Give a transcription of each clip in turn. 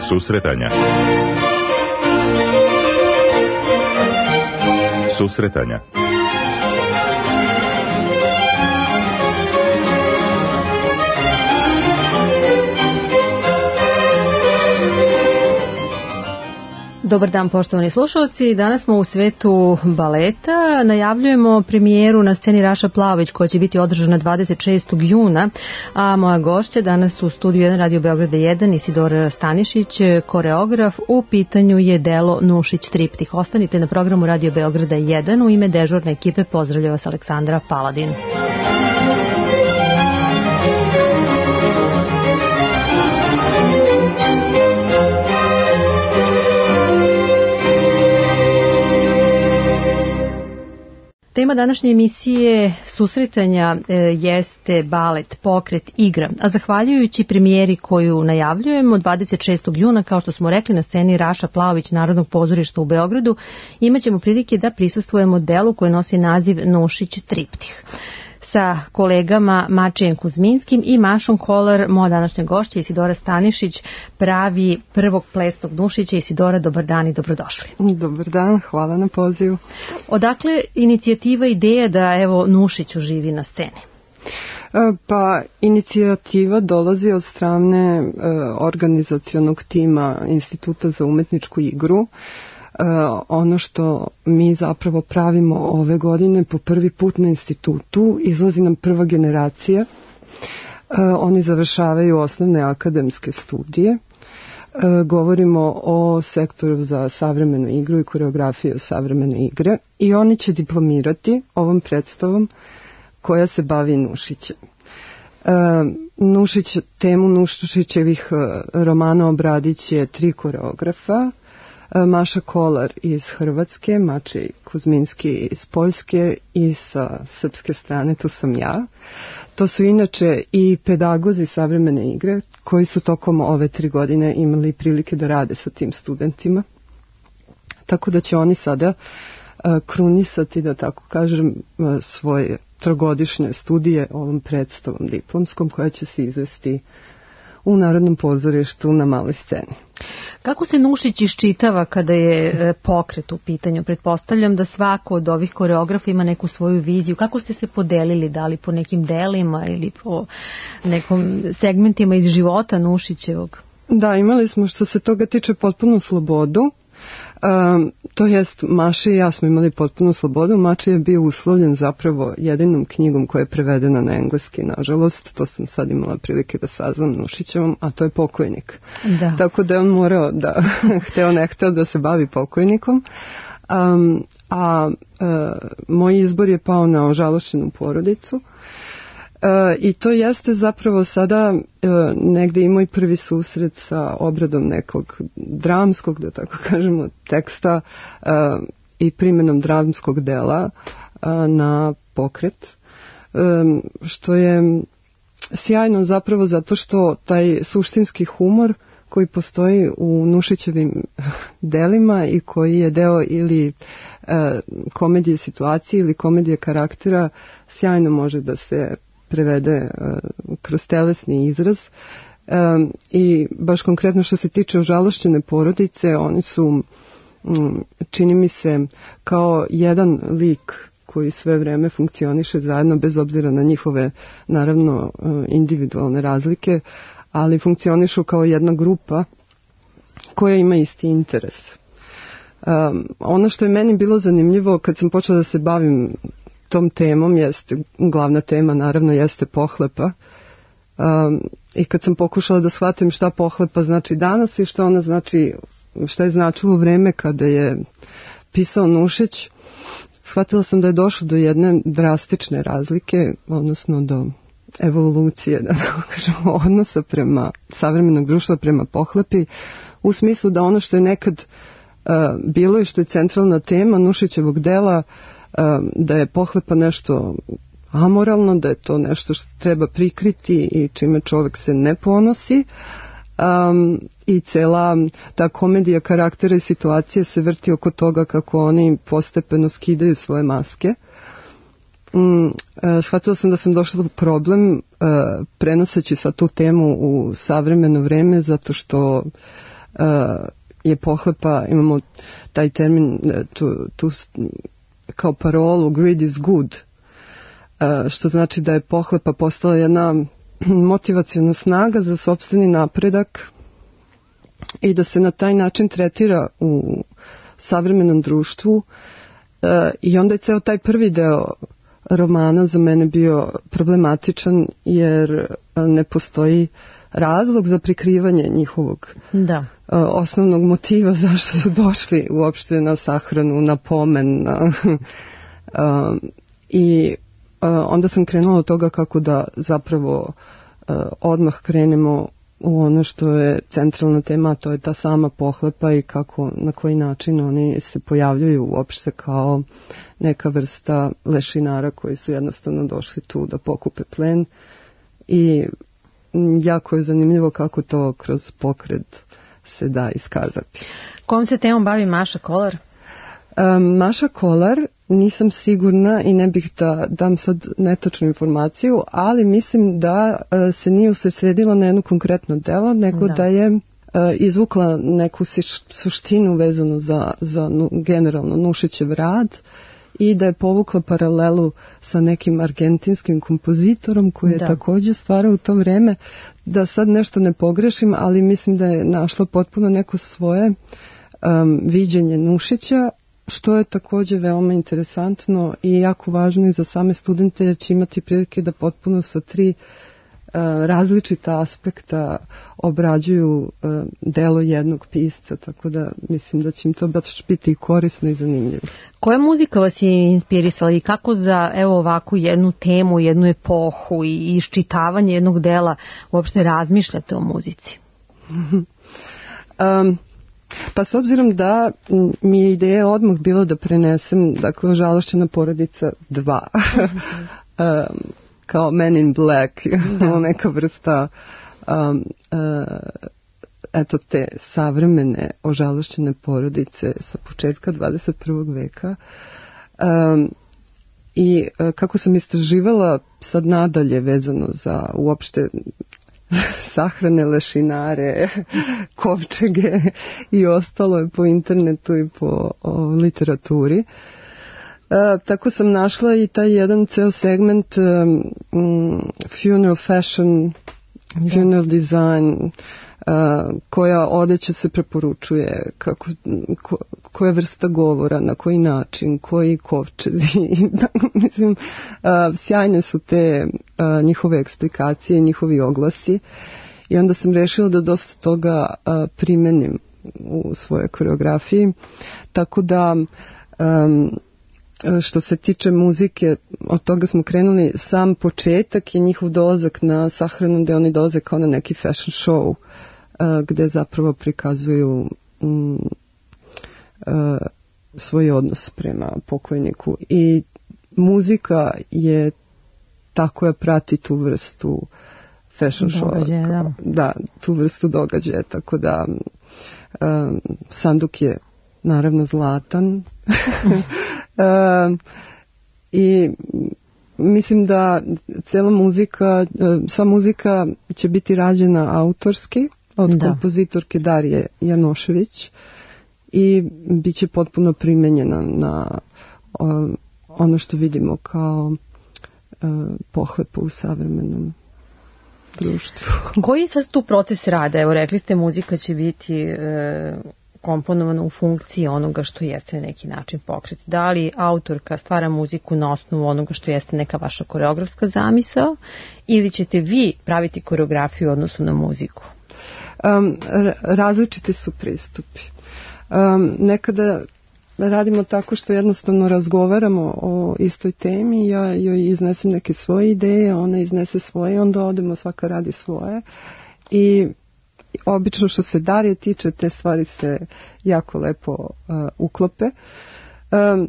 Susretanja. Susretanja. Dobar dan, poštovani slušalci. Danas smo u svetu baleta. Najavljujemo premijeru na sceni Raša Plaović koja će biti održana 26. juna, a moja gošća danas u studiju 1 Radio Beograda 1 Isidora Stanišić, koreograf. U pitanju je delo Nušić triptih. Ostanite na programu Radio Beograda 1. U ime dežurne ekipe pozdravlja vas Aleksandra Paladin. Tema današnje emisije susretanja jeste balet, pokret, igra. A zahvaljujući premijeri koju najavljujemo 26. juna, kao što smo rekli, na sceni Raša Plaović Narodnog pozorišta u Beogradu, imaćemo prilike da prisustvujemo delu koje nosi naziv Nušić triptih. Sa kolegama Mačijem Kuzminskim i Mašom Kolar, moja današnja gošća Isidora Stanišić, pravi prvog plesnog Nušića. Isidora, dobar dan i dobrodošli. Dobar dan, hvala na pozivu. Odakle inicijativa, ideja da evo Nušić uživi na sceni? Pa inicijativa dolazi od strane organizacionog tima Instituta za umetničku igru. Ono što mi zapravo pravimo ove godine po prvi put na institutu, izlazi nam prva generacija. Oni završavaju osnovne akademske studije. Govorimo o sektoru za savremenu igru i koreografiju savremene igre i oni će diplomirati ovom predstavom koja se bavi Nušićem. Temu Nušićevih romana obradit će 3 koreografa. Maša Kolar iz Hrvatske, Mačij Kuzminski iz Poljske i sa srpske strane tu sam ja. To su inače i pedagozi savremene igre koji su tokom ove 3 godine imali prilike da rade sa tim studentima. Tako da će oni sada krunisati, da tako kažem, svoje trogodišnje studije ovom predstavom diplomskom koja će se izvesti u Narodnom pozorištu na maloj sceni. Kako se Nušić iščitava kada je pokret u pitanju? Pretpostavljam da svako od ovih koreografa ima neku svoju viziju. Kako ste se podelili, da li po nekim delima ili po nekom segmentima iz života Nušićevog? Da, imali smo što se toga tiče potpunu slobodu. To jest, Maša i ja smo imali potpunu slobodu. Maša je bio uslovljen zapravo jedinom knjigom koja je prevedena na engleski, nažalost. To sam sad imala prilike da saznam Nušićevom, a to je Pokojnik. Da. Tako da je on morao da, hteo ne hteo da se bavi pokojnikom. Moj izbor je pao na Ožalošćenu porodicu. I to jeste zapravo sada negde i moj prvi susret sa obradom nekog dramskog, da tako kažemo, teksta i primjenom dramskog dela na pokret, što je sjajno zapravo zato što taj suštinski humor koji postoji u Nušićevim delima i koji je deo ili komedije situacije ili komedije karaktera, sjajno može da se prevede kroz telesni izraz. I baš konkretno što se tiče Ožalošćene porodice, oni su, čini mi se, kao jedan lik koji sve vreme funkcioniše zajedno bez obzira na njihove, naravno, individualne razlike, ali funkcionišu kao jedna grupa koja ima isti interes. Ono što je meni bilo zanimljivo kad sam počela da se bavim tom temom, jeste, glavna tema naravno jeste pohlepa, i kad sam pokušala da shvatim šta pohlepa znači danas i šta ona znači, šta je značilo vreme kada je pisao Nušić, shvatila sam da je došlo do jedne drastične razlike, odnosno do evolucije, da tako kažemo, odnosa prema savremenog društva prema pohlepi, u smislu da ono što je nekad bilo i što je centralna tema Nušićevog dela, da je pohlepa nešto amoralno, da je to nešto što treba prikriti i čime čovjek se ne ponosi, i cela ta komedija karaktera i situacije se vrti oko toga kako oni postepeno skidaju svoje maske. Shvatila sam da sam došla do problem prenoseći sa tu temu u savremeno vreme, zato što je pohlepa, imamo taj termin, tu kao parolu greed is good, što znači da je pohlepa postala jedna motivaciona snaga za sopstveni napredak i da se na taj način tretira u savremenom društvu. I onda je ceo taj prvi deo romana za mene bio problematičan, jer ne postoji razlog za prikrivanje njihovog osnovnog motiva zašto su došli uopšte na sahranu, na pomen. I onda sam krenula od toga kako da zapravo odmah krenemo u ono što je centralna tema, to je ta sama pohlepa i kako, na koji način oni se pojavljuju uopšte kao neka vrsta lešinara koji su jednostavno došli tu da pokupe plen. I jako je zanimljivo kako to kroz pokret se da iskazati. Kom se temom bavi Maša Kolar? Maša Kolar, nisam sigurna i ne bih da dam sad netačnu informaciju, ali mislim da se nije usredsredila na jedno konkretno delo, nego da je izvukla neku suštinu vezanu za generalno Nušićev rad i da je povukla paralelu sa nekim argentinskim kompozitorom koji je također stvarao u to vreme. Da sad nešto ne pogrešim, ali mislim da je našla potpuno neko svoje viđenje Nušića, što je također veoma interesantno i jako važno i za same studente, jer će imati prilike da potpuno sa 3 različita aspekta obrađuju delo jednog pisca, tako da mislim da će im to baš biti korisno i zanimljivo. Koja muzika vas je inspirisala i kako za ovakvu jednu temu, jednu epohu i iščitavanje jednog dela uopšte razmišljate o muzici? Pa s obzirom da mi je ideja odmah bila da prenesem, dakle, Ožalošćena porodica 2, kao Men in Black, neka vrsta eto te savremene ožalošćene porodice sa početka 21. veka. I kako sam istraživala sad nadalje vezano za uopšte sahrane, lešinare, kovčege i ostalo je po internetu i po literaturi. Tako sam našla i taj jedan ceo segment funeral fashion, funeral design, koja odeća se preporučuje, koja vrsta govora, na koji način, koji kovčezi. Mislim, sjajne su te njihove eksplikacije, njihovi oglasi. I onda sam rešila da dosta toga primenim u svojoj koreografiji. Tako da što se tiče muzike, od toga smo krenuli, sam početak je njihov dolazak na sahranu, gde oni dolaze kao na neki fashion show, gde zapravo prikazuju svoj odnos prema pokojniku. I muzika je ta koja prati tu vrstu fashion show. Da, tu vrstu događaja, tako da sanduk je naravno zlatan. I mislim da cijela muzika, sva muzika će biti rađena autorski od kompozitorke Darije Janošević i bit će potpuno primenjena na ono što vidimo kao pohlepu u savremenom društvu. Koji je sad tu proces rada? Evo, rekli ste, muzika će biti komponovana u funkciji onoga što jeste na neki način pokret. Da li autorka stvara muziku na osnovu onoga što jeste neka vaša koreografska zamisao ili ćete vi praviti koreografiju u odnosu na muziku? Različiti su pristupi. Nekada radimo tako što jednostavno razgovaramo o istoj temi, ja joj iznesem neke svoje ideje, ona iznese svoje, onda odemo, svaka radi svoje i obično što se Darije tiče, te stvari se jako lepo uklope.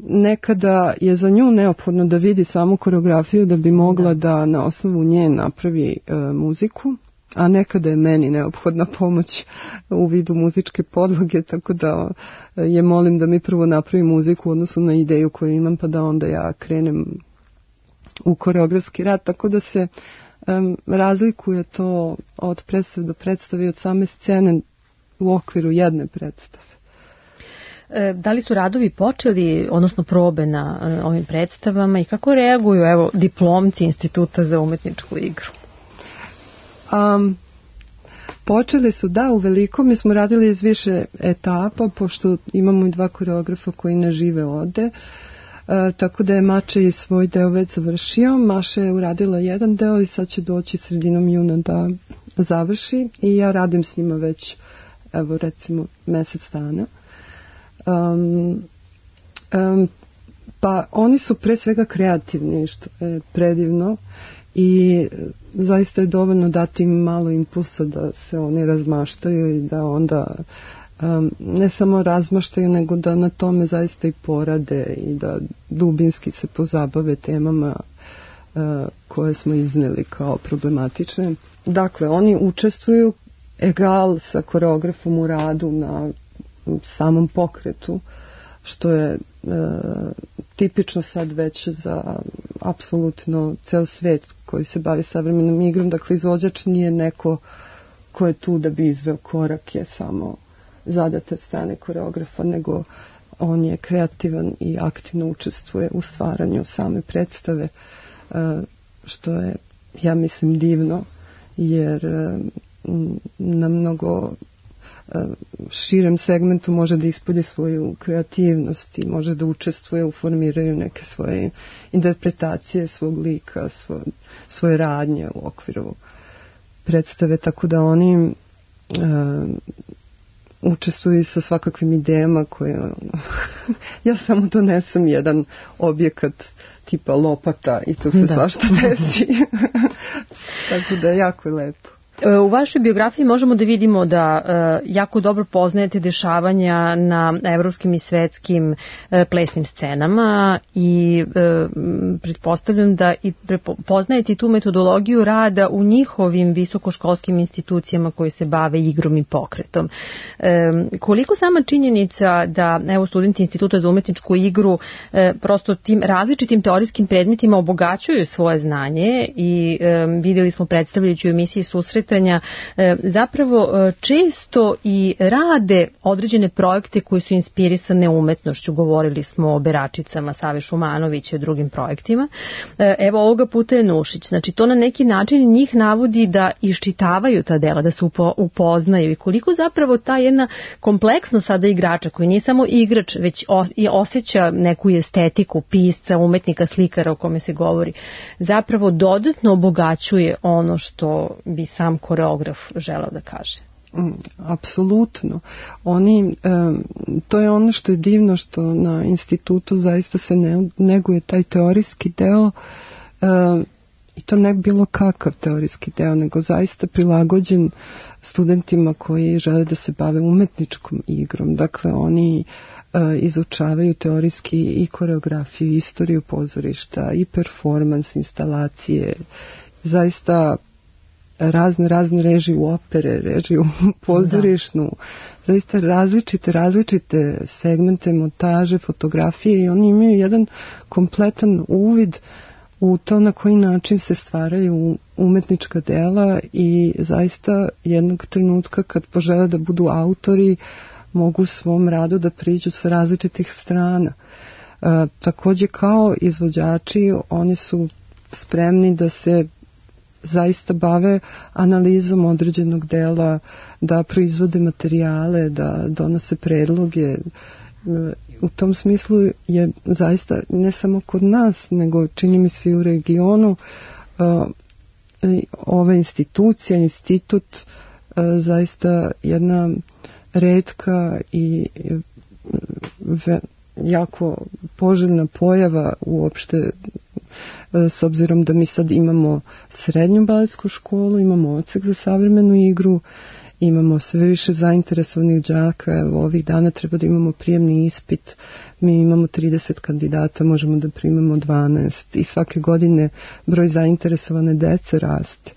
Nekada je za nju neophodno da vidi samu koreografiju da bi mogla da na osnovu nje napravi muziku, a nekada je meni neophodna pomoć u vidu muzičke podloge, tako da je molim da mi prvo napravi muziku u odnosu na ideju koju imam, pa da onda ja krenem u koreografski rad, tako da se razlikuje to od predstave do predstave, od same scene u okviru jedne predstave. Da li su radovi počeli, odnosno probe na ovim predstavama i kako reaguju diplomci Instituta za umetničku igru? Počeli su, da, u veliko. Mi smo radili iz više etapa, pošto imamo i 2 koreografa koji ne žive ovde. Tako da je Mača i svoj deo već završio. Maša je uradila jedan deo i sad će doći sredinom juna da završi. I ja radim s njima već, evo recimo, mjesec dana. Pa oni su pre svega kreativni, što je predivno. I zaista je dovoljno dati im malo impulsa da se oni razmaštaju i da onda ne samo razmaštaju, nego da na tome zaista i porade i da dubinski se pozabave temama koje smo izneli kao problematične. Dakle, oni učestvuju egal sa koreografom u radu na samom pokretu, što je tipično sad već za apsolutno ceo svet koji se bavi savremenom igrom. Dakle, izvođač nije neko ko je tu da bi izveo korak, je samo zadat od strane koreografa, nego on je kreativan i aktivno učestvuje u stvaranju same predstave, što je, ja mislim, divno, jer na mnogo širem segmentu može da ispolji svoju kreativnost i može da učestvuje u formiranju neke svoje interpretacije svog lika, svoje radnje u okviru predstave, tako da oni učestvuju sa svakakvim idejama koje ja samo donesem jedan objekat tipa lopata i tu se svašta desi. Tako da je jako lepo. U vašoj biografiji možemo da vidimo da jako dobro poznajete dešavanja na evropskim i svetskim plesnim scenama i pretpostavljam da i poznajete tu metodologiju rada u njihovim visokoškolskim institucijama koji se bave igrom i pokretom. Koliko sama činjenica da studenti Instituta za umetničku igru prosto tim različitim teorijskim predmetima obogaćuju svoje znanje i vidjeli smo predstavljajući u emisiji Susret zapravo često i rade određene projekte koji su inspirisane umetnošću. Govorili smo o Beračicama Save Šumanovića i drugim projektima. Evo ovoga puta je Nušić. Znači to na neki način njih navodi da iščitavaju ta dela, da se upoznaju i koliko zapravo ta jedna kompleksnost sada igrača koji nije samo igrač, već i osjeća neku estetiku pisca, umetnika, slikara o kome se govori, zapravo dodatno obogaćuje ono što bi sam koreograf želeo da kaže. Apsolutno. Oni, to je ono što je divno, što na institutu zaista se neguje taj teorijski deo i to ne bilo kakav teorijski deo, nego zaista prilagođen studentima koji žele da se bave umetničkom igrom. Dakle, oni izučavaju teorijski i koreografiju, i istoriju pozorišta, i performans, instalacije, zaista razne režije u opere, režiju pozorišnu, zaista različite segmente, montaže, fotografije i oni imaju jedan kompletan uvid u to na koji način se stvaraju umetnička dela i zaista jednog trenutka kad požele da budu autori mogu svom radu da priđu sa različitih strana. Takođe kao izvođači oni su spremni da se zaista bave analizom određenog dela, da proizvode materijale, da donose predloge. U tom smislu je zaista ne samo kod nas, nego čini mi se i u regionu ova institucija, institut zaista jedna retka i jako poželjna pojava uopšte, s obzirom da mi sad imamo srednju baletsku školu, imamo odsek za savremenu igru, imamo sve više zainteresovanih đaka. Evo, ovih dana treba da imamo prijemni ispit, mi imamo 30 kandidata, možemo da primamo 12 i svake godine broj zainteresovane dece raste.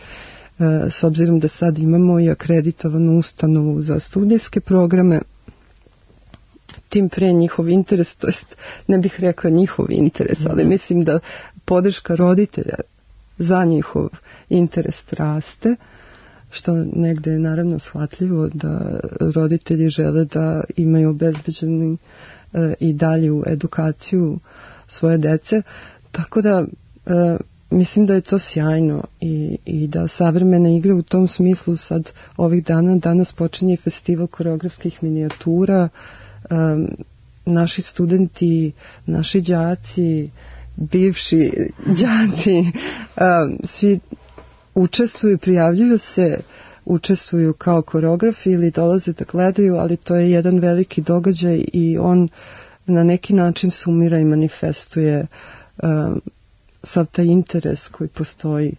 S obzirom da sad imamo i akreditovanu ustanovu za studijske programe, tim pre njihov interes, to jest ne bih rekla njihov interes, ali mislim da podrška roditelja za njihov interes raste. što negde je naravno shvatljivo da roditelji žele da imaju obezbeđenu i dalju edukaciju svoje dece, tako da mislim da je to sjajno i da savremene igre u tom smislu sad ovih danas počinje festival koreografskih minijatura, naši studenti, naši đaci, bivši đaci, svi učestvuju, prijavljuju se, učestvuju kao koreografi ili dolaze da gledaju, ali to je jedan veliki događaj i on na neki način sumira i manifestuje sav taj interes koji postoji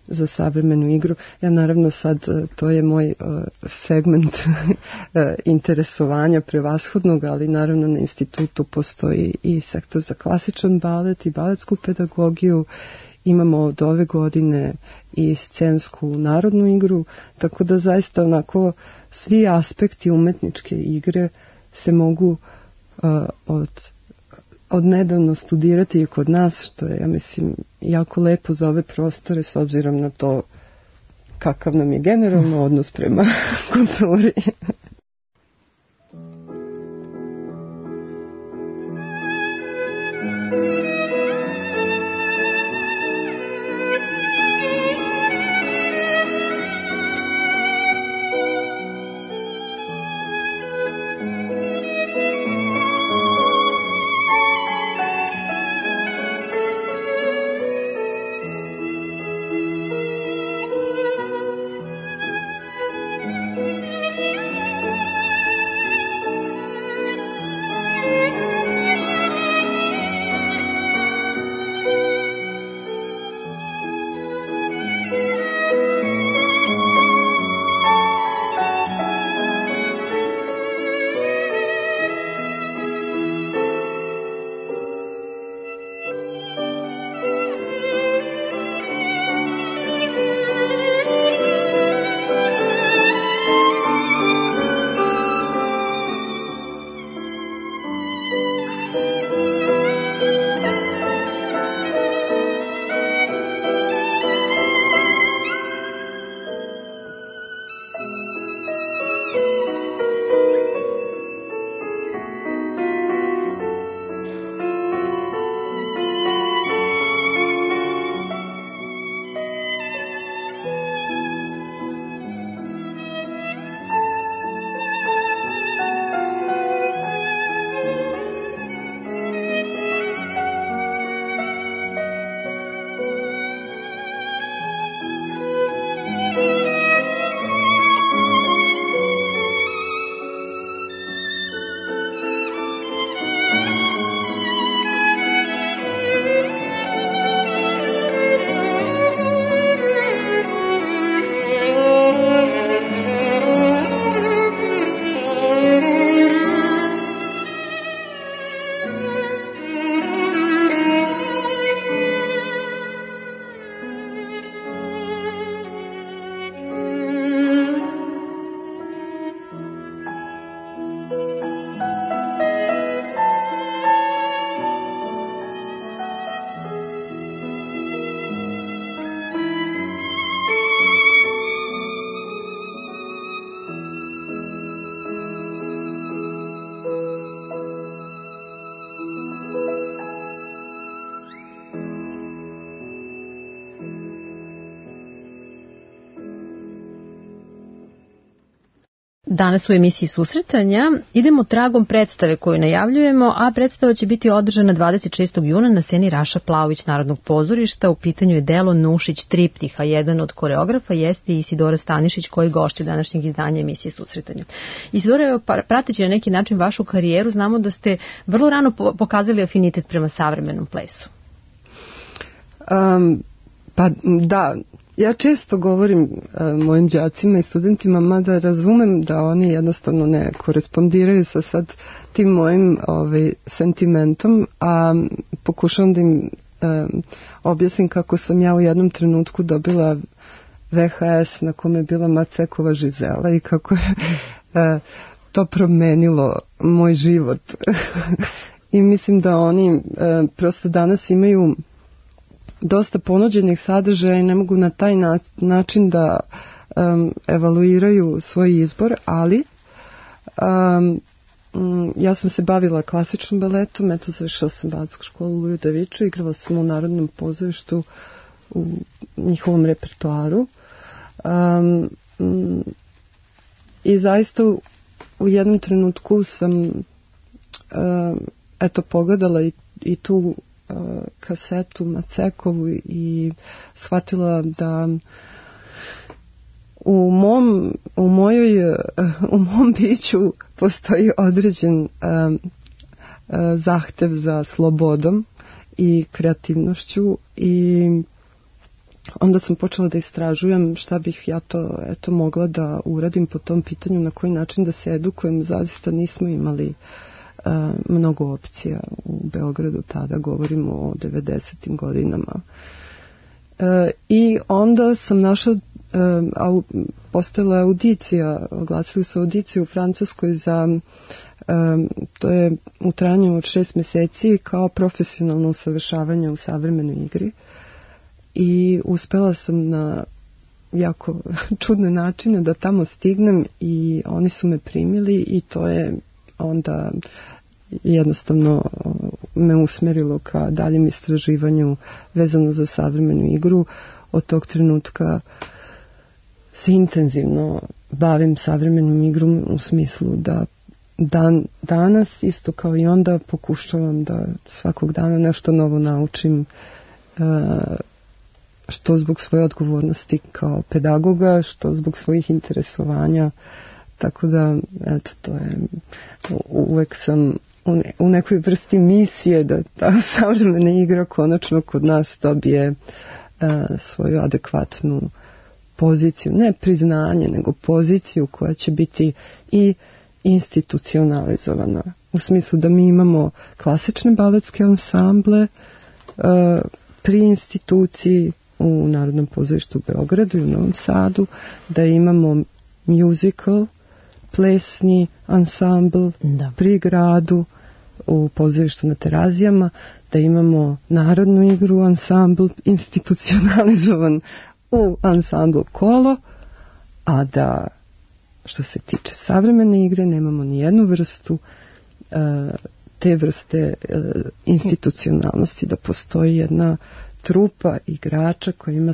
za savremenu igru. Ja naravno sad, to je moj segment interesovanja prevashodnog, ali naravno na institutu postoji i sektor za klasičan balet i baletsku pedagogiju. Imamo od ove godine i scensku narodnu igru, tako da zaista onako svi aspekti umetničke igre se mogu od nedavno studirati i kod nas, što je, ja mislim, jako lepo za ove prostore s obzirom na to kakav nam je generalno odnos prema kulturi. Danas u emisiji Susretanja idemo tragom predstave koju najavljujemo, a predstava će biti održana 26. juna na sceni Raša Plaović Narodnog pozorišta. U pitanju je delo Nušić Triptih, a jedan od koreografa jeste Isidora Stanišić, koji gošće današnjeg izdanja emisije Susretanja. Isidora, prateći na neki način vašu karijeru, znamo da ste vrlo rano pokazali afinitet prema savremenom plesu. Pa da, ja često govorim mojim đacima i studentima, mada razumem da oni jednostavno ne korespondiraju sa sad tim mojim sentimentom, a pokušavam da im objasnim kako sam ja u jednom trenutku dobila VHS na kome je bila Macekova Žizela i kako je to promenilo moj život. I mislim da oni prosto danas imaju dosta ponuđenih sadržaja i ne mogu na taj način da evaluiraju svoj izbor, ali ja sam se bavila klasičnom baletom, eto završila sam baletsku školu u Ludoviču, igrala sam u Narodnom pozorištu u njihovom repertoaru i zaista u jednom trenutku sam pogledala i tu kasetu Macekovu i shvatila da u mom biću postoji određen zahtev za slobodom i kreativnošću i onda sam počela da istražujem šta bih ja to mogla da uradim po tom pitanju, na koji način da se edukujem. Zaista nismo imali mnogo opcija u Beogradu, tada govorimo o 90. godinama. I onda sam našla, postojala je audicija, oglasili su audiciju u Francuskoj za, to je u trajanju od 6 meseci kao profesionalno usavršavanje u savremenoj igri i uspela sam na jako čudne načine da tamo stignem i oni su me primili i to je onda jednostavno me usmerilo ka daljem istraživanju vezano za savremenu igru. Od tog trenutka se intenzivno bavim savremenom igrom u smislu da danas isto kao i onda pokušavam da svakog dana nešto novo naučim, što zbog svoje odgovornosti kao pedagoga, što zbog svojih interesovanja. Tako da, eto, to je, uvek sam u nekoj vrsti misije da ta savremena igra konačno kod nas dobije svoju adekvatnu poziciju, ne priznanje, nego poziciju koja će biti i institucionalizovana. U smislu da mi imamo klasične baletske ansamble pri instituciji u Narodnom pozorištu u Beogradu i u Novom Sadu, da imamo musical, plesni ansambl pri gradu u pozorištu na Terazijama, da imamo narodnu igru ansambl institucionalizovan u ansamblu Kolo, a da što se tiče savremene igre nemamo ni jednu vrstu te vrste institucionalnosti, da postoji jedna trupa igrača koja ima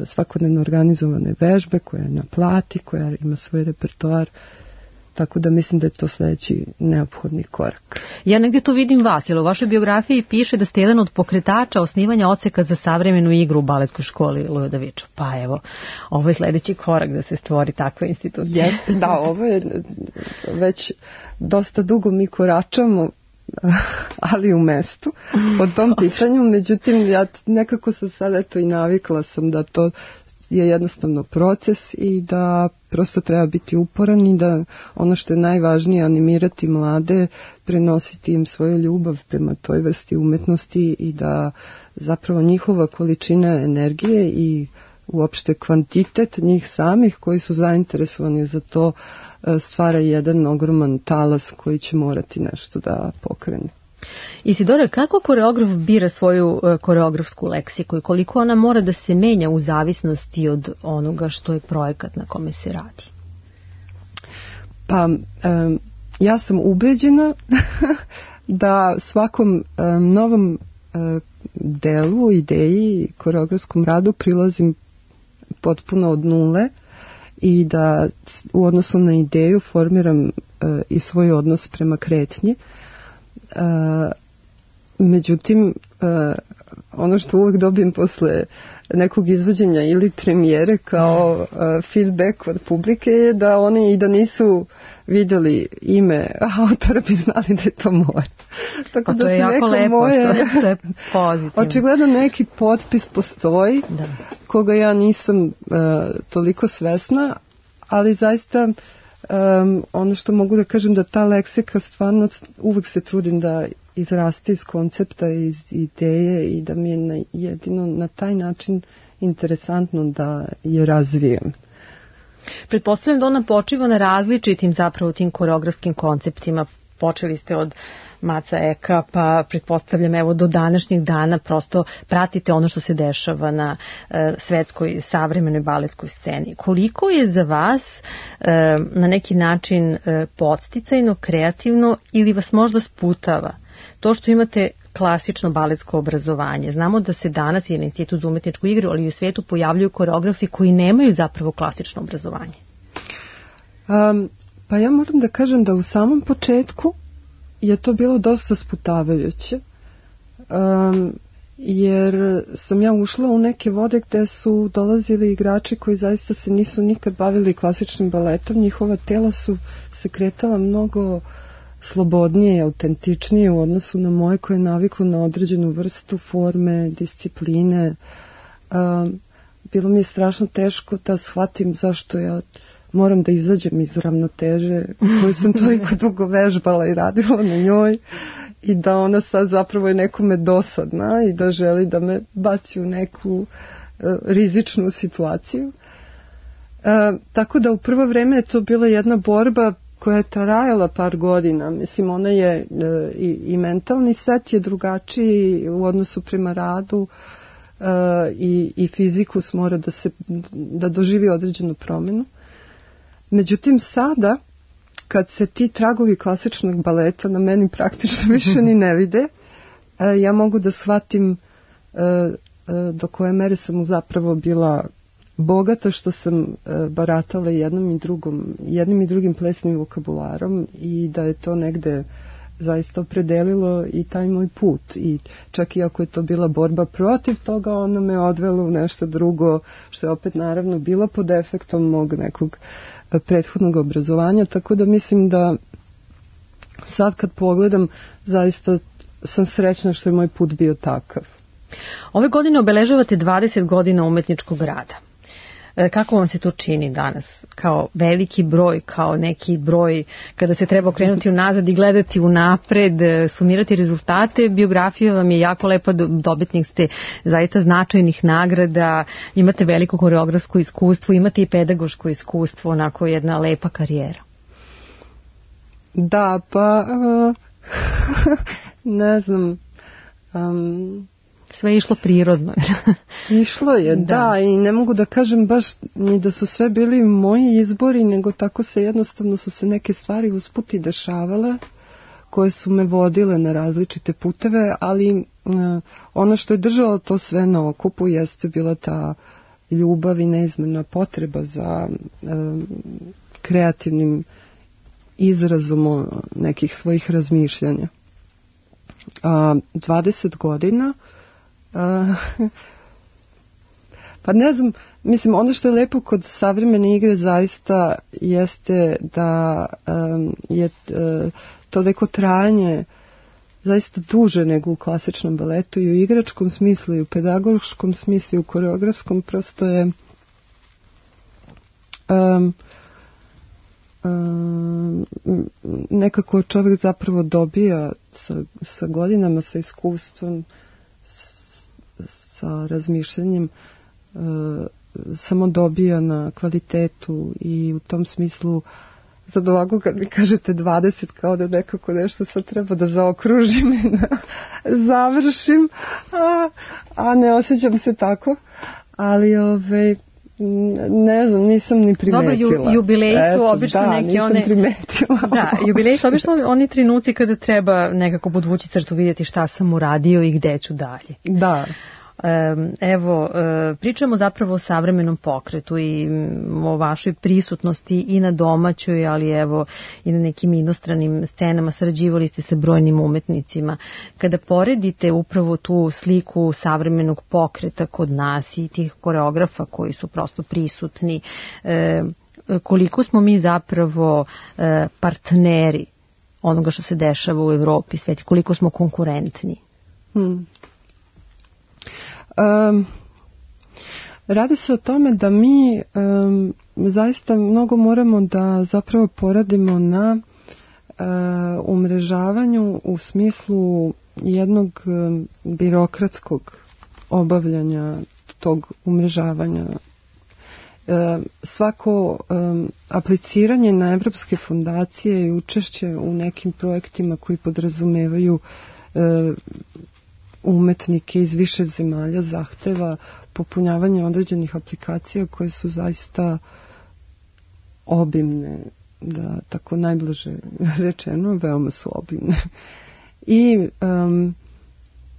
svakodnevno organizovane vežbe, koja je na plati, koja ima svoj repertoar, tako da mislim da je to sledeći neophodni korak. Ja negdje tu vidim vas, jer u vašoj biografiji piše da ste jedan od pokretača osnivanja odseka za savremenu igru u baletskoj školi Ludoviču. Pa evo, ovo je sledeći korak da se stvori takva institucija. Jeste, da, ovo je već dosta dugo mi koračamo, ali u mestu po tom pitanju, međutim ja nekako sam sad eto i navikla sam da to je jednostavno proces i da prosto treba biti uporan i da ono što je najvažnije, animirati mlade, prenositi im svoju ljubav prema toj vrsti umetnosti i da zapravo njihova količina energije i uopšte kvantitet njih samih koji su zainteresovani za to stvara jedan ogroman talas koji će morati nešto da pokrene. Isidora, kako koreograf bira svoju koreografsku leksiku i koliko ona mora da se menja u zavisnosti od onoga što je projekat na kome se radi? Pa, ja sam ubeđena da svakom novom delu, ideji, koreografskom radu prilazim potpuno od nule i da u odnosu na ideju formiram i svoj odnos prema kretnji. Međutim, ono što uvek dobijem posle nekog izvođenja ili premijere kao feedback od publike je da oni i da nisu videli ime autora bi znali da je to moje. Tako da to je jako lepo, to je pozitivno. Očigledno neki potpis postoji, koga ja nisam toliko svesna, ali zaista ono što mogu da kažem da ta leksika stvarno uvek se trudim da izraste iz koncepta, iz ideje i da mi je jedino na taj način interesantno da je razvijem. Pretpostavljam da ona počiva na različitim zapravo tim koreografskim konceptima. počeli ste od Maca Eka, pa pretpostavljam evo do današnjeg dana prosto pratite ono što se dešava na svetskoj savremenoj baletskoj sceni. Koliko je za vas na neki način podsticajno, kreativno ili vas možda sputava to što imate klasično baletsko obrazovanje? Znamo da se danas i na Institut za umetničku igru, ali i u svijetu pojavljuju koreografi koji nemaju zapravo klasično obrazovanje. Pa ja moram da kažem da u samom početku je to bilo dosta sputavajuće, jer sam ja ušla u neke vode gde su dolazili igrači koji zaista se nisu nikad bavili klasičnim baletom. Njihova tela su se kretala mnogo slobodnije i autentičnije u odnosu na moje koje je naviklo na određenu vrstu forme, discipline. Bilo mi je strašno teško da shvatim zašto ja moram da izađem iz ravnoteže koju sam toliko dugo vežbala i radila na njoj i da ona sad zapravo je nekome dosadna i da želi da me baci u neku rizičnu situaciju. Tako da u prvo vreme je to bila jedna borba koja je trajala par godina. Mislim, ona je i mentalni set je drugačiji u odnosu prema radu i fizikus mora da doživi određenu promjenu. Međutim, sada, kad se ti tragovi klasičnog baleta na meni praktično više ni ne vide, ja mogu da shvatim do koje mere sam zapravo bila bogata što sam baratala jednim i drugim plesnim vokabularom i da je to negde zaista opredelilo i taj moj put. I čak i ako je to bila borba protiv toga, ona me odvela u nešto drugo, što je opet naravno bilo pod efektom mog nekog prethodnog obrazovanja, tako da mislim da sad kad pogledam zaista sam srećna što je moj put bio takav. Ove godine obeležavate 20 godina umetničkog rada. Kako vam se to čini danas? Kao veliki broj, kao neki broj kada se treba okrenuti unazad i gledati unapred, sumirati rezultate? Biografija vam je jako lepa, dobitnik ste zaista značajnih nagrada, imate veliko koreografsko iskustvo, imate i pedagoško iskustvo, onako jedna lepa karijera. Da, pa ne znam... Sve je išlo prirodno. Išlo je, da, i ne mogu da kažem baš ni da su sve bili moji izbori, nego tako jednostavno su se neke stvari usput i dešavale, koje su me vodile na različite puteve, ali ono što je držalo to sve na okupu jeste bila ta ljubav i neizmjerna potreba za kreativnim izrazom nekih svojih razmišljanja. 20 godina pa ne znam, mislim, ono što je lepo kod savremene igre zaista jeste da je to neko trajanje zaista duže nego u klasičnom baletu i u igračkom smislu i u pedagoškom smislu i u koreografskom, prosto je nekako čovjek zapravo dobija sa godinama, sa iskustvom, sa razmišljanjem, samo dobija na kvalitetu i u tom smislu sad ovako kad mi kažete 20 kao da nekako nešto sad treba da zaokružim i da završim, a ne osjećam se tako, ali ne znam, nisam ni primetila. Dobro, jubileji su obično neke one... Da, jubileji su obično oni trenuci kada treba nekako podvući crtu, vidjeti šta sam uradio i gde ću dalje. Da. Evo, pričamo zapravo o savremenom pokretu i o vašoj prisutnosti i na domaćoj, ali evo i na nekim inostranim scenama, sarađivali ste sa brojnim umetnicima. Kada poredite upravo tu sliku savremenog pokreta kod nas i tih koreografa koji su prosto prisutni, koliko smo mi zapravo partneri onoga što se dešava u Evropi, sveti, koliko smo konkurentni? Radi se o tome da mi zaista mnogo moramo da zapravo poradimo na umrežavanju u smislu jednog birokratskog obavljanja tog umrežavanja. svako apliciranje na evropske fondacije i učešće u nekim projektima koji podrazumevaju umetnike iz više zemalja zahteva popunjavanje određenih aplikacija koje su zaista obimne, da tako najblaže rečeno, veoma su obimne. I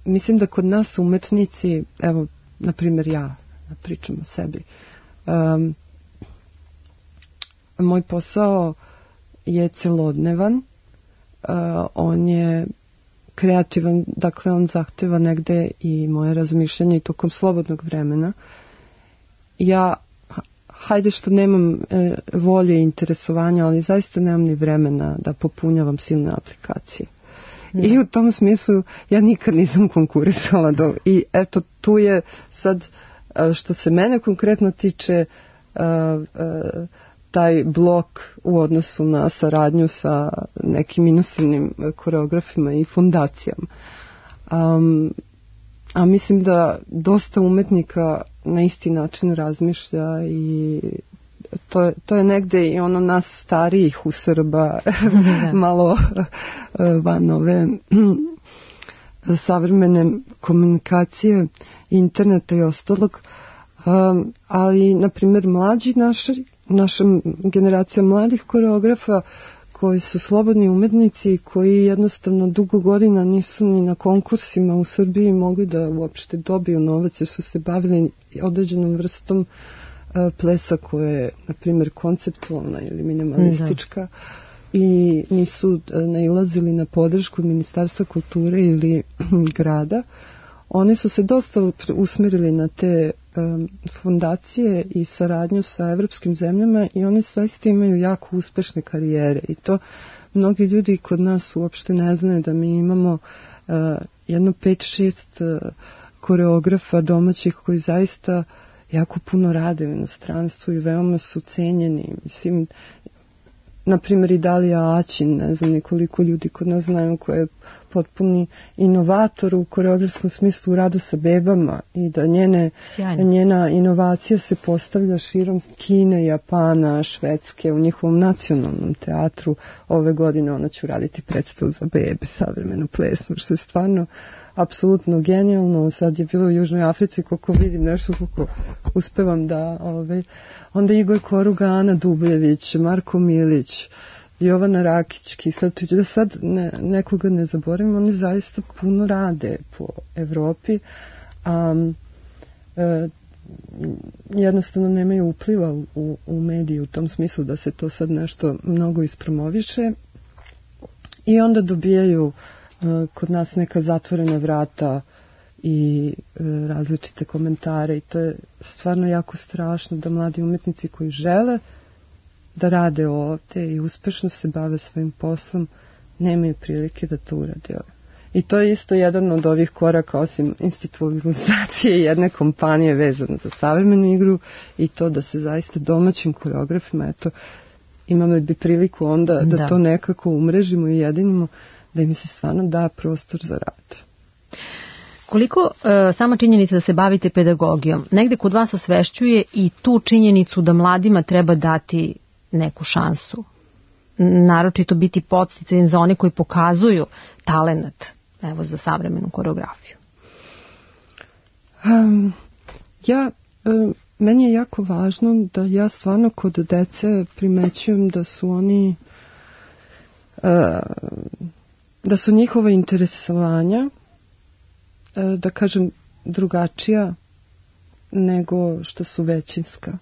mislim da kod nas umetnici, evo, na primjer ja pričam o sebi, moj posao je celodnevan, on je kreativan, dakle on zahteva negde i moje razmišljanje i tokom slobodnog vremena. Ja, hajde što nemam volje i interesovanja, ali zaista nemam ni vremena da popunjavam silne aplikacije. I u tom smislu ja nikad nisam konkurisala i eto tu je sad, što se mene konkretno tiče, taj blok u odnosu na saradnju sa nekim inostranim koreografima i fundacijama. A mislim da dosta umetnika na isti način razmišlja i to je negde i ono nas starijih u Srba malo van ove savremene komunikacije, interneta i ostalog. Ali, na primjer, mlađi naša generacija mladih koreografa koji su slobodni umetnici, koji jednostavno dugo godina nisu ni na konkursima u Srbiji mogli da uopšte dobiju novac, jer su se bavili određenom vrstom plesa koja je, na primjer, konceptualna ili minimalistička i nisu nailazili na podršku Ministarstva kulture ili grada. Oni su se dosta usmerili na te fondacije i saradnju sa evropskim zemljama i oni zaista imaju jako uspešne karijere i to mnogi ljudi kod nas uopšte ne znaju da mi imamo jedno 5-6 koreografa domaćih koji zaista jako puno rade u inostranstvu i veoma su cenjeni. Mislim, na primjer i Dalija Aćin, ne znam nekoliko ljudi kod nas znaju, koja je potpuni inovator u koreografskom smislu u radu sa bebama i da njena inovacija se postavlja širom Kine, Japana, Švedske, u njihovom nacionalnom teatru. Ove godine ona će uraditi predstavu za bebe, savremenu plesnu, što je stvarno apsolutno genijalno. Sad je bilo u Južnoj Africi, koliko vidim nešto, koliko uspevam da... Onda Igor Koruga, Ana Dubljević, Marko Milić, Jovana Rakić, Kisletić, da sad nekoga ne zaboravim, oni zaista puno rade po Evropi, jednostavno nemaju upliva u mediji u tom smislu da se to sad nešto mnogo ispromoviše i onda dobijaju kod nas neka zatvorena vrata i različite komentare i to je stvarno jako strašno da mladi umetnici koji žele da rade ovde i uspešno se bave svojim poslom nemaju prilike da to urade. I to je isto jedan od ovih koraka, osim institucionalizacije jedne kompanije vezane za savremenu igru i to da se zaista domaćim koreografima, eto, imamo bi priliku onda da to nekako umrežimo i jedinimo, da im se stvarno da prostor za rad. Koliko sama činjenica da se bavite pedagogijom negde kod vas osvešćuje i tu činjenicu da mladima treba dati neku šansu, naročito biti podsticajan za one koji pokazuju talenat, evo, za savremenu koreografiju? Meni je jako važno da ja stvarno kod dece primećujem da su oni da su njihova interesovanja, da kažem, drugačija nego što su većinska,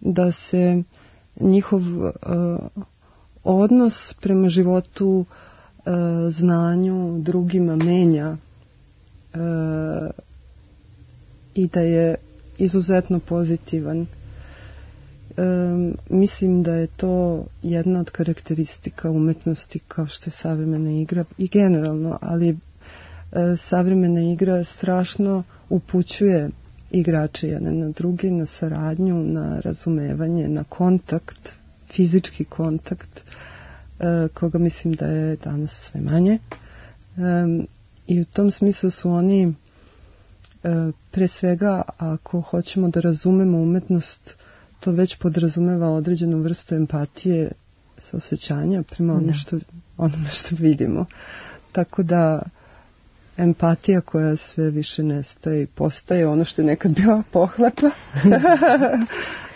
da se njihov odnos prema životu, znanju, drugima menja i da je izuzetno pozitivan. Mislim da je to jedna od karakteristika umetnosti kao što je savremena igra i generalno, ali savremena igra strašno upućuje igrače jedne na druge, na saradnju, na razumevanje, na kontakt, fizički kontakt, koga mislim da je danas sve manje. I u tom smislu su oni, pre svega, ako hoćemo da razumemo umetnost, to već podrazumeva određenu vrstu empatije, saosećanja prema onome što vidimo. Tako da empatija koja sve više nestaje i postaje ono što je nekad bila pohlepa,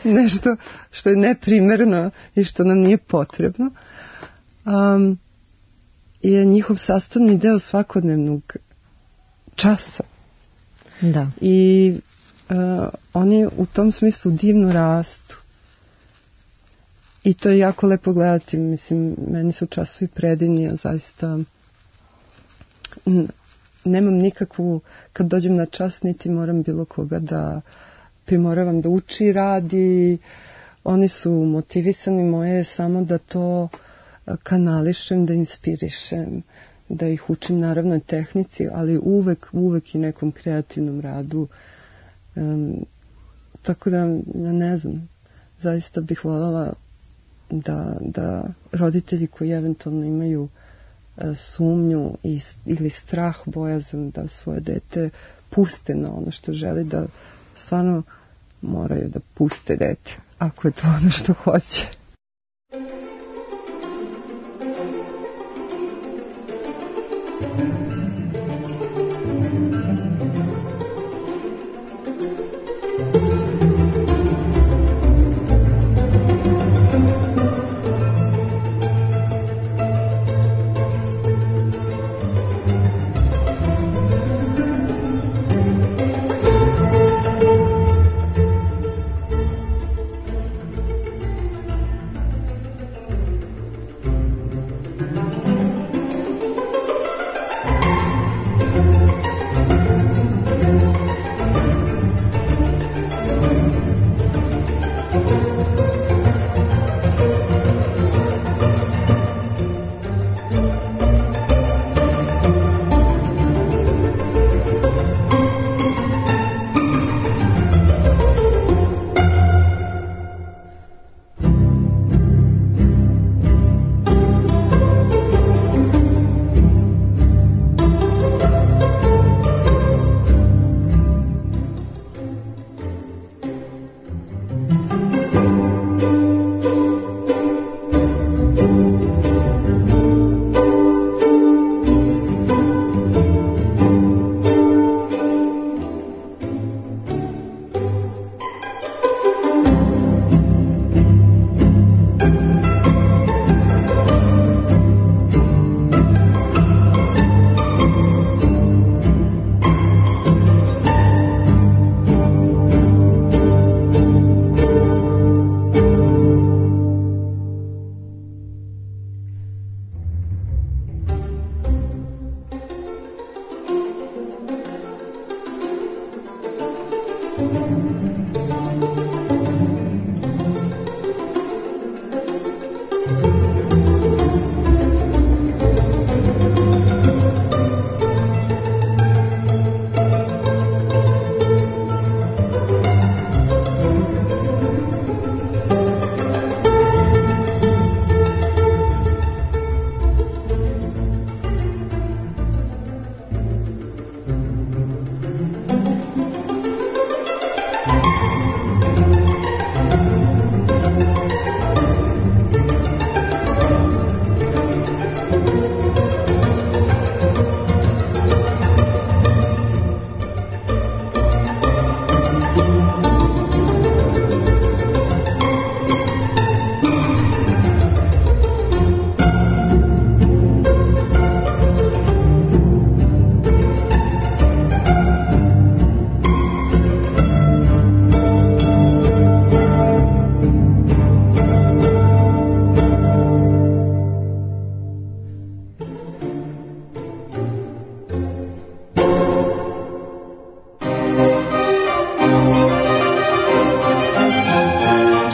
nešto što je neprimerno i što nam nije potrebno, je njihov sastavni deo svakodnevnog časa. Da. I oni u tom smislu divno rastu. I to je jako lepo gledati. Mislim, meni su časovi predivni, a zaista nemam nikakvu, kad dođem na čas, niti moram bilo koga da primoravam da uči i radi. Oni su motivisani, moje je samo da to kanališem, da inspirišem, da ih učim naravno tehnici, ali uvek i nekom kreativnom radu. Tako da, ne znam, zaista bih voljela da roditelji koji eventualno imaju sumnju ili strah, bojazan da svoje dete puste na ono što želi, da stvarno moraju da puste dete, ako je to ono što hoće.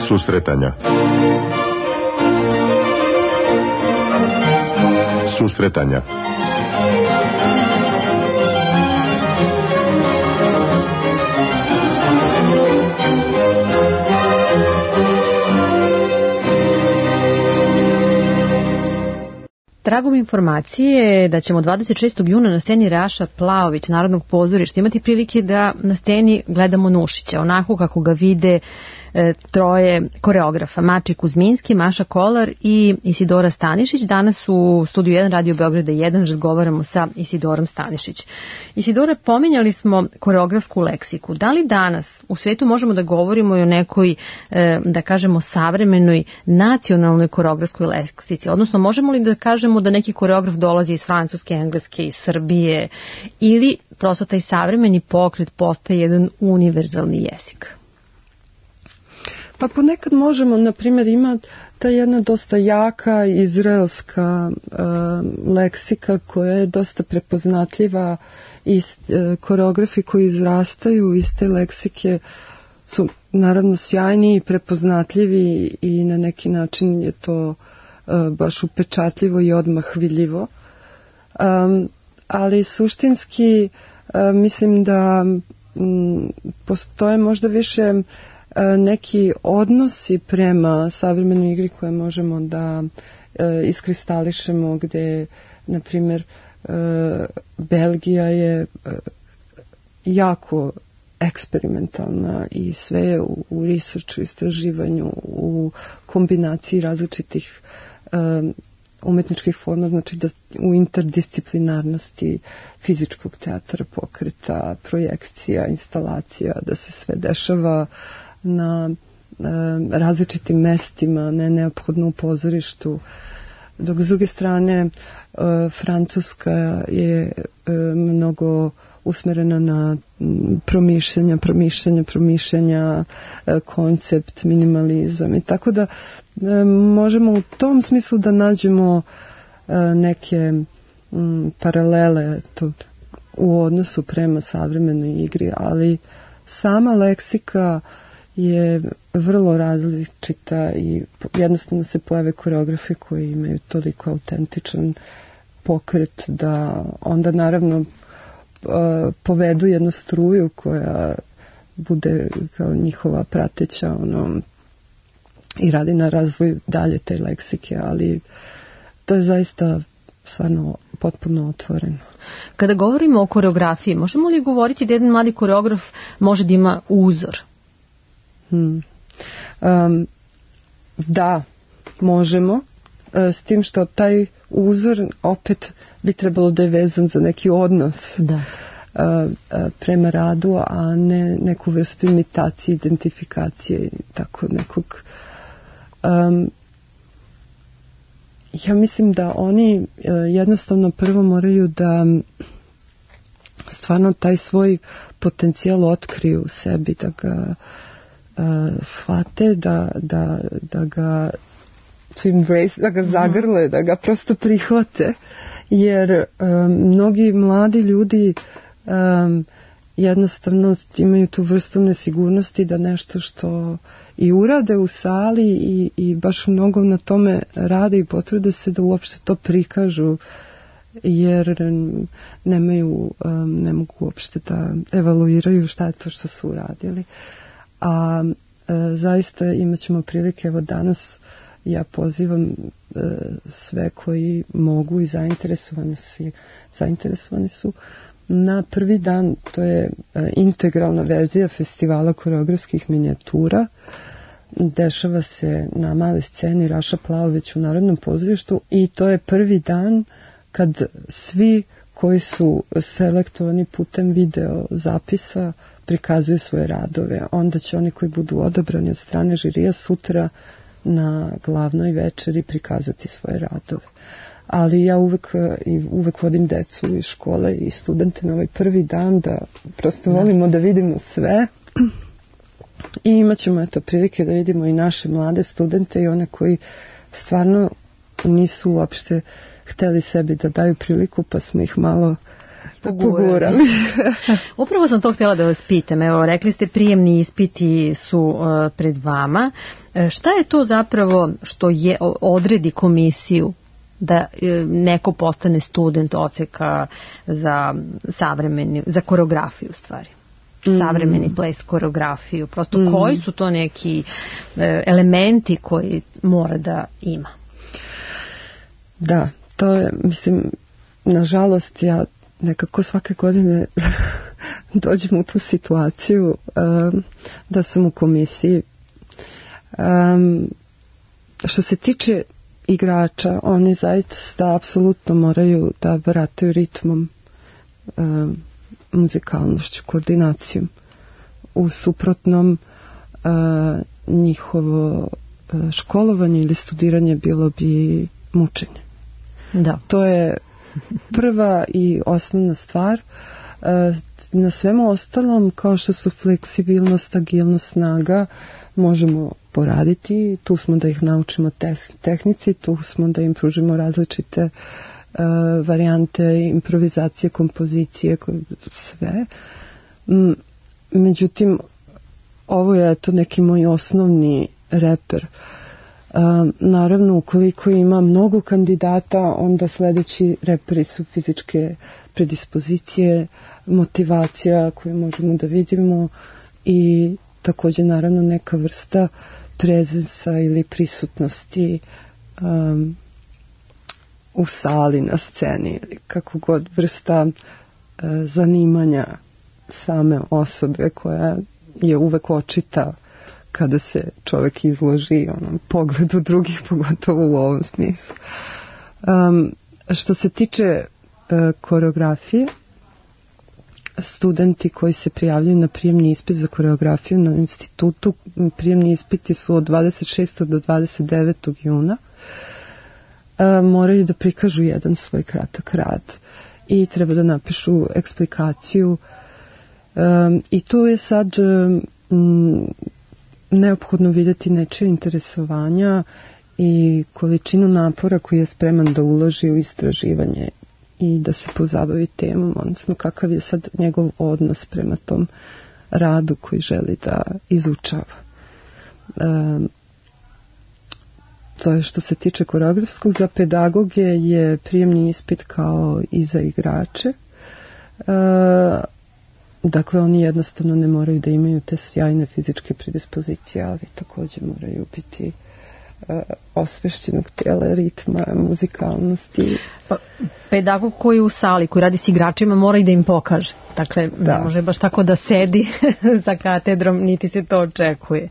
Susretanja. Susretanja. tragom informacije da ćemo 26. juna na sceni Raša Plaović Narodnog pozorišta imati prilike da na sceni gledamo Nušića, onako kako ga vide troje koreografa, Mačej Kuzminski, Maša Kolar i Isidora Stanišić. Danas u Studiju 1 Radio Beograda 1 razgovaramo sa Isidorom Stanišić. Isidora, pominjali smo koreografsku leksiku. Da li danas u svetu možemo da govorimo i o nekoj, da kažemo, savremenoj nacionalnoj koreografskoj leksici? Odnosno, možemo li da kažemo da neki koreograf dolazi iz Francuske, Engleske, iz Srbije, ili prosto taj savremeni pokret postaje jedan univerzalni jezik? Pa ponekad možemo, na primjer, ima ta jedna dosta jaka izraelska leksika koja je dosta prepoznatljiva i koreografi koji izrastaju iz te leksike su naravno sjajni i prepoznatljivi i na neki način je to baš upečatljivo i odmah vidljivo. Ali suštinski mislim da postoje možda više neki odnosi prema savremenoj igri koje možemo da iskristališemo, gde, na primjer, Belgija je jako eksperimentalna i sve je u researchu, istraživanju, u kombinaciji različitih umetničkih forma, znači da u interdisciplinarnosti fizičkog teatra, pokreta, projekcija, instalacija, da se sve dešava na različitim mestima, ne neophodno u pozorištu. Dok s druge strane Francuska je mnogo usmerena na promišljanja, koncept, minimalizam i tako da možemo u tom smislu da nađemo neke paralele u odnosu prema savremenoj igri, ali sama leksika je vrlo različita i jednostavno se pojave koreografi koji imaju toliko autentičan pokret da onda naravno povedu jednu struju koja bude kao njihova prateća i radi na razvoju dalje te leksike, ali to je zaista stvarno potpuno otvoreno. Kada govorimo o koreografiji, možemo li govoriti da jedan mladi koreograf može da ima uzor? Da, možemo, s tim što taj uzor opet bi trebalo da je vezan za neki odnos prema radu, a ne neku vrstu imitacije, identifikacije, tako nekog. Ja mislim da oni jednostavno prvo moraju da stvarno taj svoj potencijal otkriju u sebi, da ga shvate, da ga to embrace, da ga zagrle, da ga prosto prihvate, jer mnogi mladi ljudi jednostavno imaju tu vrstu nesigurnosti da nešto što i urade u sali i baš mnogo na tome rade i potrude se da uopšte to prikažu, jer ne mogu uopšte da evaluiraju šta je to što su uradili. A zaista imat ćemo prilike, evo danas ja pozivam sve koji mogu i zainteresovani su na prvi dan, to je integralna verzija festivala koreografskih minijatura. Dešava se na maloj sceni Raša Plaović u Narodnom pozorištu i to je prvi dan kad svi koji su selektovani putem video zapisa prikazuju svoje radove. Onda će oni koji budu odabrani od strane žirija sutra na glavnoj večeri prikazati svoje radove. Ali ja uvek vodim decu iz škole i studente na ovaj prvi dan da prosto volimo da vidimo sve i imat ćemo prilike da vidimo i naše mlade studente i one koji stvarno nisu uopšte hteli sebi da daju priliku, pa smo ih malo pogurali. Upravo sam to htjela da vas pitam. Evo, rekli ste prijemni ispiti su pred vama. Šta je to zapravo što odredi komisiju da neko postane student odseka za koreografiju, stvari? Savremeni ples, koreografiju. Prosto koji su to neki elementi koji mora da ima? Da, To je, mislim, nažalost, ja nekako svake godine dođem u tu situaciju da sam u komisiji. Što se tiče igrača, oni zaista apsolutno moraju da barataju ritmom, muzikalnošću, koordinacijom. U suprotnom njihovo školovanje ili studiranje bilo bi mučenje. Da. To je prva i osnovna stvar. Na svemu ostalom, kao što su fleksibilnost, agilnost, snaga, možemo poraditi. Tu smo da ih naučimo tehnici, tu smo da im pružimo različite varijante improvizacije, kompozicije, sve. Međutim, ovo je to neki moj osnovni reper. Naravno, ukoliko ima mnogo kandidata, onda sledeći reperi su fizičke predispozicije, motivacija koju možemo da vidimo i također naravno neka vrsta prezensa ili prisutnosti u sali, na sceni, ili kako god, vrsta zanimanja same osobe koja je uvek očita kada se čovjek izloži onom pogledu drugih, pogotovo u ovom smislu. Što se tiče koreografije, studenti koji se prijavljaju na prijemni ispit za koreografiju na institutu, prijemni ispiti su od 26. do 29. juna, moraju da prikažu jedan svoj kratak rad i treba da napišu eksplikaciju i tu je sad neophodno vidjeti nečije interesovanja i količinu napora koji je spreman da uloži u istraživanje i da se pozabavi temom, odnosno kakav je sad njegov odnos prema tom radu koji želi da izučava. To je što se tiče koreografskog. Za pedagoge je prijemni ispit kao i za igrače. Dakle, oni jednostavno ne moraju da imaju te sjajne fizičke predispozicije, ali također moraju biti osvešćenog tijela, ritma, muzikalnosti. Pedagog koji je u sali, koji radi s igračima, mora i da im pokaže. Dakle, ne može baš tako da sedi za katedrom, niti se to očekuje.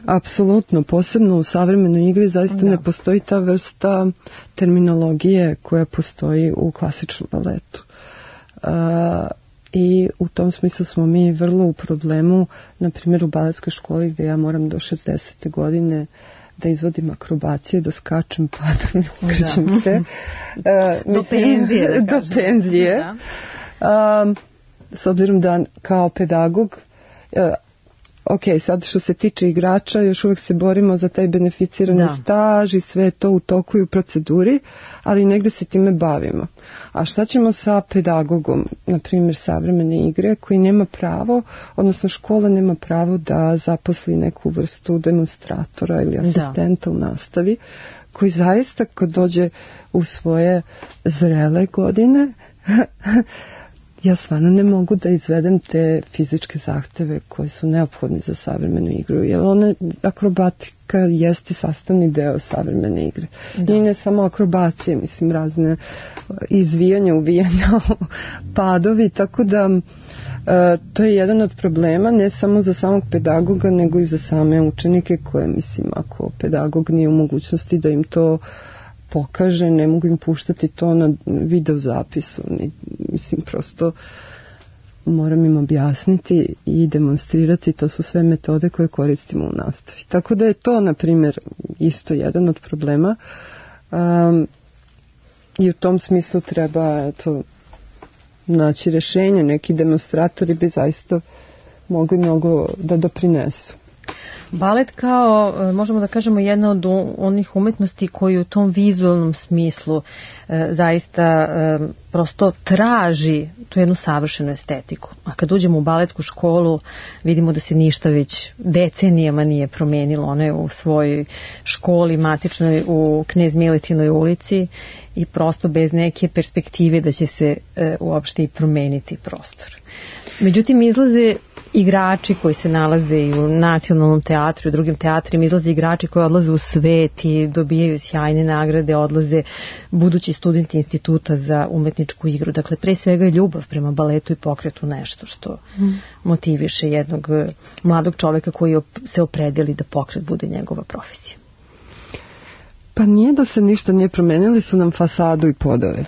Apsolutno, posebno u savremenoj igri zaista ne postoji ta vrsta terminologije koja postoji u klasičnom baletu. I u tom smislu smo mi vrlo u problemu, na primjer u baletskoj školi gdje ja moram do 60. godine da izvodim akrobacije, da skačem, padam i ukrećem se. Do penzije. Do penzije. S obzirom da kao pedagog, ok, sad što se tiče igrača, još uvijek se borimo za taj beneficirani staž i sve to u toku i u proceduri, ali negde se time bavimo. A šta ćemo sa pedagogom, na primjer savremene igre, koji nema pravo, odnosno škola nema pravo da zaposli neku vrstu demonstratora ili asistenta u nastavi, koji zaista kad dođe u svoje zrele godine ja stvarno ne mogu da izvedem te fizičke zahteve koje su neophodni za savremenu igru, jer akrobatika jeste sastavni deo savremene igre. I ne samo akrobacije, mislim razne izvijanja, uvijanja, padovi, tako da to je jedan od problema, ne samo za samog pedagoga, nego i za same učenike koje, mislim, ako pedagog nije u mogućnosti da im to pokaže, ne mogu im puštati to na video zapisu. Mislim, prosto moram im objasniti i demonstrirati, to su sve metode koje koristimo u nastavi. Tako da je to, na primjer, isto jedan od problema i u tom smislu treba naći rješenje. Neki demonstratori bi zaista mogli mnogo da doprinesu. Balet kao, možemo da kažemo, jedna od onih umetnosti koji u tom vizualnom smislu zaista prosto traži tu jednu savršenu estetiku. A kad uđemo u baletsku školu vidimo da se ništa već decenijama nije promenilo. Ona je u svojoj školi matičnoj u Knez Miletinoj ulici i prosto bez neke perspektive da će se uopšte i promeniti prostor. Međutim, izlaze igrači koji se nalaze i u Nacionalnom teatru i u drugim teatrima, izlaze igrači koji odlaze u svet i dobijaju sjajne nagrade, odlaze budući studenti Instituta za umetničku igru. Dakle, pre svega je ljubav prema baletu i pokretu nešto što motiviše jednog mladog čoveka koji se opredeli da pokret bude njegova profesija. Pa nije da se ništa nije promenili, su nam fasadu i podove.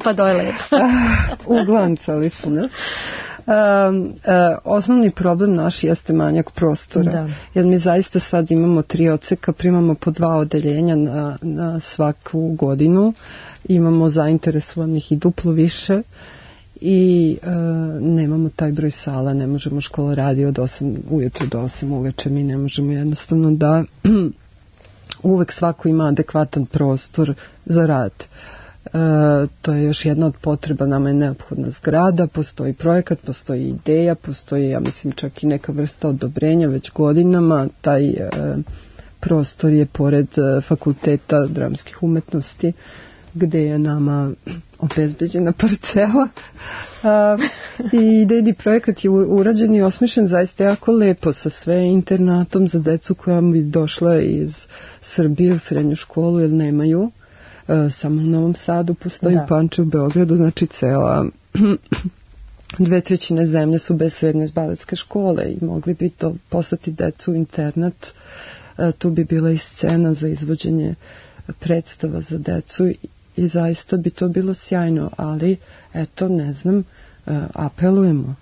Pa to je lepo. Uglancali su nas. Osnovni problem naš jeste manjak prostora, da. Jer mi zaista sad imamo 3 odseka, primamo po 2 odeljenja na svaku godinu, imamo zainteresovanih i duplo više i nemamo taj broj sala, ne možemo, škola radi od 8 ujutru do 8 uveče, mi ne možemo jednostavno da uvek svako ima adekvatan prostor za rad. To je još jedna od potreba, nama je neophodna zgrada, postoji projekat, postoji ideja, postoji, ja mislim, čak i neka vrsta odobrenja već godinama. Taj prostor je pored Fakulteta dramskih umetnosti, gde je nama obezbeđena parcela. I idejni projekat je urađen i osmišljen zaista jako lepo, sa sve internatom za decu koja bi došla iz Srbije u srednju školu, jer nemaju. Samo u Novom Sadu postoji, Pančevu, u Beogradu, znači cela 2/3 zemlje su bez srednje baletske škole i mogli bi to poslati decu u internat. Tu bi bila i scena za izvođenje predstava za decu i zaista bi to bilo sjajno, ali eto, ne znam, apelujemo.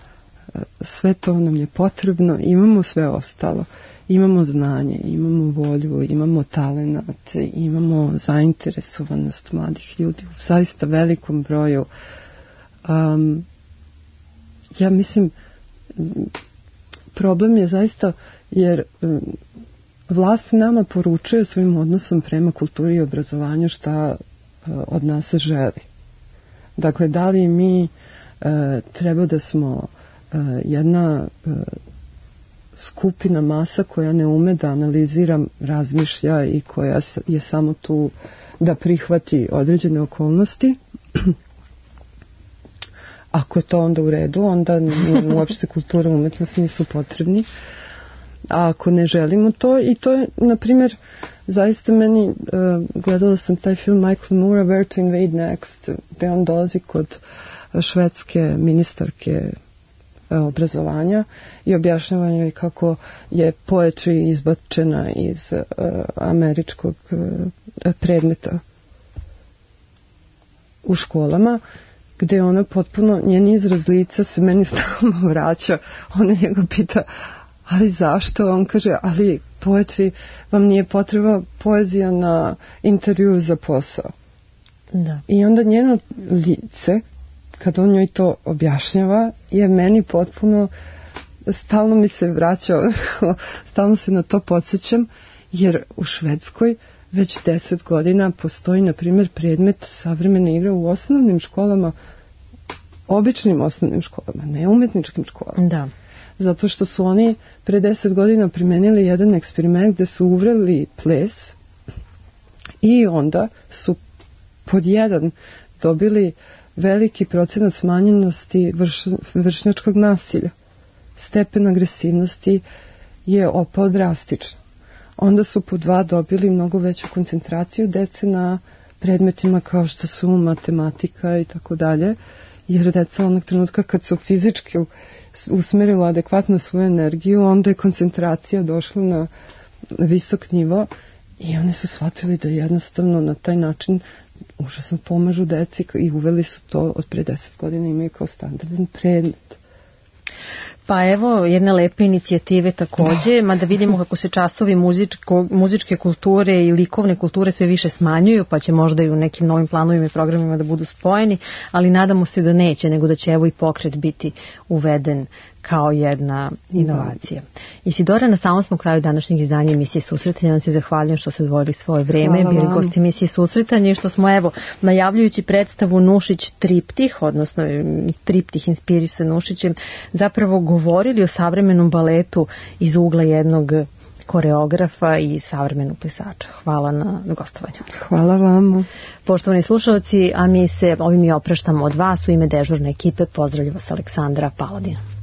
Sve to nam je potrebno, imamo sve ostalo. Imamo znanje, imamo volju, imamo talenat, imamo zainteresovanost mladih ljudi u zaista velikom broju. Ja mislim, problem je zaista jer vlast nama poručuje svojim odnosom prema kulturi i obrazovanju šta od nas želi. Dakle, da li mi treba da smo jedna skupina masa koja ne ume da analizira, razmišlja i koja je samo tu da prihvati određene okolnosti. Ako je to onda u redu, onda uopšte kultura i umetnost nisu potrebni. A ako ne želimo to, i to je, na primjer, zaista meni, gledala sam taj film Michael Moore, Where to Invade Next, gde on dolazi kod švedske ministarke obrazovanja i objašnjava joj kako je poetry izbačena iz američkog predmeta u školama, gde ona potpuno, njen izraz lica se meni stalno vraća. Ona njega pita, ali zašto? On kaže, ali poetry, vam nije potreba poezija na intervju za posao. Da. I onda njeno lice, kad on njoj to objašnjava, je meni potpuno, stalno mi se vraća, stalno se na to podsjećam, jer u Švedskoj već 10 godina postoji, na primjer, predmet savremene igre u osnovnim školama, običnim osnovnim školama, ne umetničkim školama. Da. Zato što su oni pre 10 godina primenili jedan eksperiment gde su uvreli ples i onda su pod jedan dobili veliki procenat smanjenosti vršnjačkog nasilja. Stepen agresivnosti je opao drastično. Onda su po 2 dobili mnogo veću koncentraciju dece na predmetima kao što su matematika i tako dalje, jer deca onog trenutka kad su fizički usmerila adekvatno svoju energiju, onda je koncentracija došla na visok nivo i oni su shvatili da jednostavno na taj način užasno pomažu deci i uveli su to od pre 10 godina, imaju kao standardan predmet. Pa evo jedne lepe inicijative takođe, mada vidimo kako se časovi muzičke kulture i likovne kulture sve više smanjuju, pa će možda i u nekim novim planovima i programima da budu spojeni, ali nadamo se da neće, nego da će evo i pokret biti uveden kao jedna inovacija. Isidora, na samom smo kraju današnjeg izdanja emisije Susretanje. Vam se zahvaljujem što ste odvojili svoje vreme, bili gosti emisije Susretanje i što smo evo najavljujući predstavu Nušić triptih, odnosno triptih inspirisan Nušićem, zapravo govorili o savremenom baletu iz ugla jednog koreografa i savremenog plesača. Hvala na gostovanju. Hvala vam. Poštovani slušalci, a mi se ovim i opraštamo od vas. U ime dežurne ekipe pozdravlja vas Aleksandra Paladina.